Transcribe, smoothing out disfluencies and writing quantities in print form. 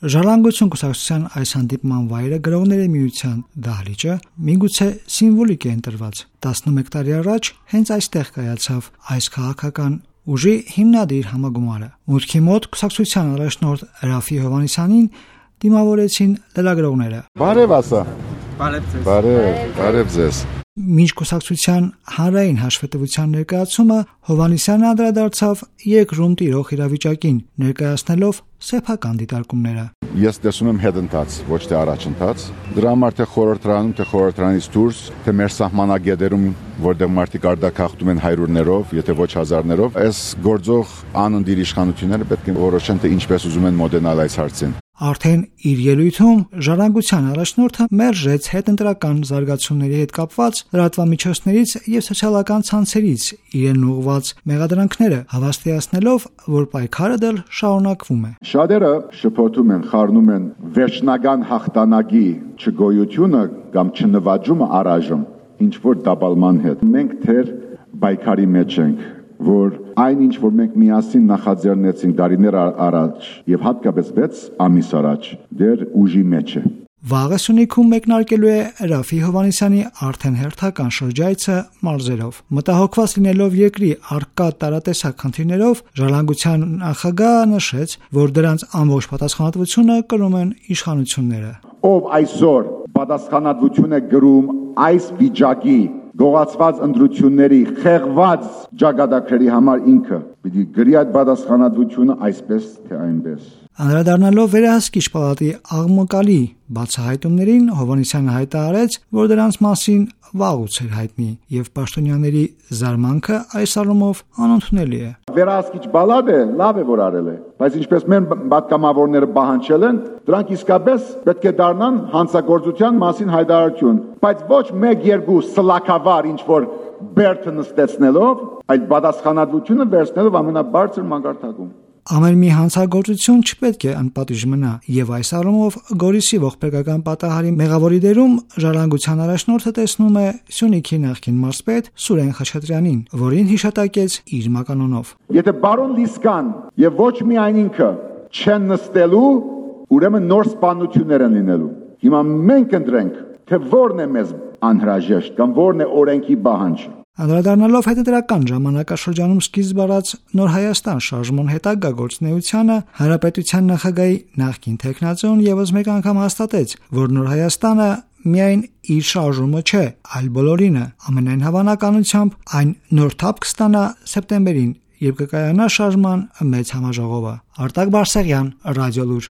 Ժառանգություն կուսակցության այս հանդիպման վայրը գրողների միության դահլիճը միգուցե սիմվոլիկ է ընտրված։ 11 տարի առաջ հենց այստեղ կայացավ այս քաղաքական ուժի հիմնադիր համագումարը։ Մուտքի մոտ կուսակցության առաջնորդ Ռաֆի Հովհաննիսյանին դիմավորեցին լրագրողները։ Բարև ասա։ Բարև ձեզ։ Մինչ կուսակցության հանրային հաշվետվության ներկայացումը Հովհաննիսյանը անդրադարձավ երկրում տիրող իրավիճակին, ներկայացնելով սեփական դիտարկումները։ Ես տեսնում եմ հետընթաց, ոչ թե առաջընթաց։ Դրա համար թե խորհրդարանում, թե խորհրդարանից դուրս, թե մեր սահմանագետերում, որտեղ մարդիկ արդակախտում են հայրուրներով, եթե ոչ հազարներով, այս գործող անընդիր իշխանությունները պետք է որոշեն, թե ինչպես ուզում են մոդենալ այս հարցին։ Արդեն իր ելույթում ժառանգության առաջնորդը մերժեց հետընտրական զարգացումների հետ կապված լրատվամիջոցներից եւ սոցիալական ցանցերից իրեն ուղղված մեղադրանքները, հավաստիացնելով, որ պայքարը դեռ շարունակվում է։ Շատերը շփոթում են, խառնում են վերջնական հաղթանակի չգոյությունը կամ չնվաճումը առայժմ ինչ որ դապալման հետ։ Մենք թեր պայքարի մեջ ենք, որ այն ինչ որ մենք միասին նախաձեռնեցինք տարիներ առաջ եւ հատկապես 6 ամիս առաջ դեռ ուժի մեջ է։ Վաղը Սյունիքում մեկնարկելու է Ռաֆի Հովհաննիսյանի արդեն հերթական շրջայցը մարզերով։ Մտահոգված լինելով երկրի առկա տարատեսակ խնդիրներով, ժառանգության նախագահը նշեց, որ դրանց ամբողջ պատասխանատվությունը կրում են իշխանությունները։ Ով այսօր պատասխանատվություն է գրում այս վիճակի գողացված ընտրությունների խեղված ճակատագրերի համար ինքը պիտի գրի այդ պատասխանատվությունը այսպես թե այնպես։ Անդրադառնալով վերահսկիչ պալատի աղմկալի բացահայտումներին, Հովհաննիսյանը հայտարարեց, որ դրանց մասին վաղուց էր հայտնի եւ պաշտոնյաների զարմանքը այս առումով անընդունելի է։ Վերահսկիչ պալատը լավ է որ արել է, բայց ինչպես մեր պատգամավորները պահանջել են, դրանք իսկապես պետք է դառնան հանցագործության մասին հայտարարություն, բայց ոչ 1-2 սլաքավար ինչ որ բերդը նստեցնելով, այդ պատասխանատվությունը վերցնելով ամենաբարձր մակարդակում։ Ամեն մի հանցագործություն չպետք է անպատիժ մնա, եւ այս առումով Գորիսի ողբերգական պատահարի մեղավորի դերում ժառանգության առաջնորդը տեսնում է Սյունիքի նախկին մարզպետ Սուրեն Խաչատրյանին, որին հիշատակեց իր մականունով։ Եթե բարոն Լիսկան եւ ոչ միայն ինքը չեն նստելու, ուրեմն նոր սպանություններ են լինելու։ Հիմա մենք ընտրենք, թե որն է մեզ անհրաժեշտ կամ որն է օրենքի պահանջը։ Անդրադառնալով հետընտրական ժամանակաշրջանում սկիզբ առած Նոր Հայաստան շարժման հետագա գործունեությանը, Հանրապետության նախագահի նախկին թեկնածուն եւս մեկ անգամ հաստատեց, որ Նոր Հայաստանը միայն իր շարժումը չէ, այլ բոլորինը։ Ամենայն հավանականությամբ այն նոր թափ կստանա սեպտեմբերին, երբ կկայանա շարժման մեծ համաժողովը։ Արտակ Բարսեղյան, Ռադիոլուր։